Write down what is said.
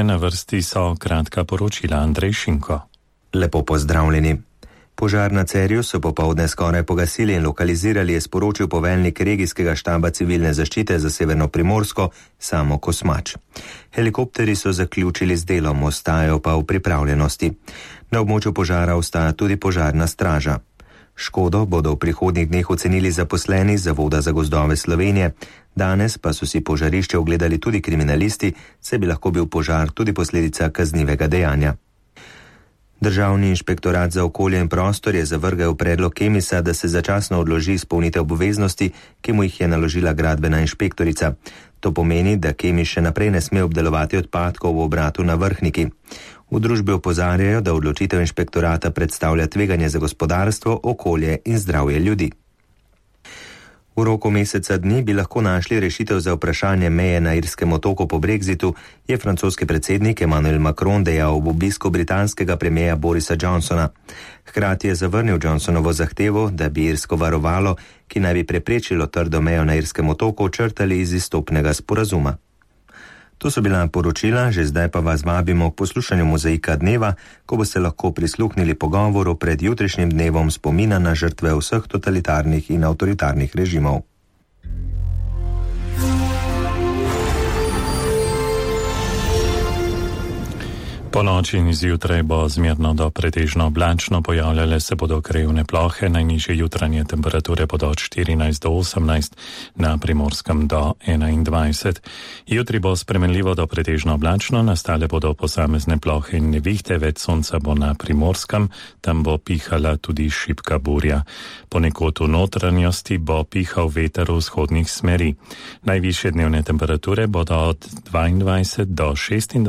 Na vrsti so kratka poročila Andrej Šinko. Lepo pozdravljeni. Požar na Cerju so popoldne skoraj pogasili in lokalizirali, je sporočil poveljnik regijskega štaba civilne zaščite za Severno Primorsko Samo Kosmač. Helikopteri so zaključili z delom, ostajajo pa v pripravljenosti. Na območju požara ostaja tudi požarna straža. Škodo bodo v prihodnjih dneh ocenili zaposleni Zavoda za gozdove Slovenije. Danes pa so si požarišče ogledali tudi kriminalisti, saj bi lahko bil požar tudi posledica kaznivega dejanja. Državni inšpektorat za okolje in prostor je zavrgel predlog Kemisa, da se začasno odloži izpolnitev obveznosti, ki mu jih je naložila gradbena inšpektorica. To pomeni, da Kemis še naprej ne sme obdelovati odpadkov v obratu na Vrhniki. V družbi opozarjajo, da odločitev inšpektorata predstavlja tveganje za gospodarstvo, okolje in zdravje ljudi. V roku meseca dni bi lahko našli rešitev za vprašanje meje na Irskem otoku po brexitu, je francoski predsednik Emmanuel Macron dejal ob obisku britanskega premierja Borisa Johnsona. Hkrati je zavrnil Johnsonovo zahtevo, da bi irsko varovalo, ki naj bi preprečilo trdo mejo na Irskem otoku, črtali iz izstopnega sporazuma. To so bila poročila, že zdaj pa vas vabimo k poslušanju Mozaika dneva, ko boste lahko prisluhnili pogovoru pred jutrišnjim dnevom spomina na žrtve vseh totalitarnih in avtoritarnih režimov. Po noči in zjutraj bo zmerno do pretežno oblačno, pojavljale se bodo krajevne plohe, najnižje jutranje temperature bodo od 14 do 18, na Primorskem do 21. Jutri bo spremenljivo do pretežno oblačno, nastale bodo posamezne plohe in nevihte, več sonca bo na Primorskem, tam bo pihala tudi šibka burja. Ponekod v notranjosti bo pihal veter v vzhodnih smeri. Najvišje dnevne temperature bodo od 22 do 26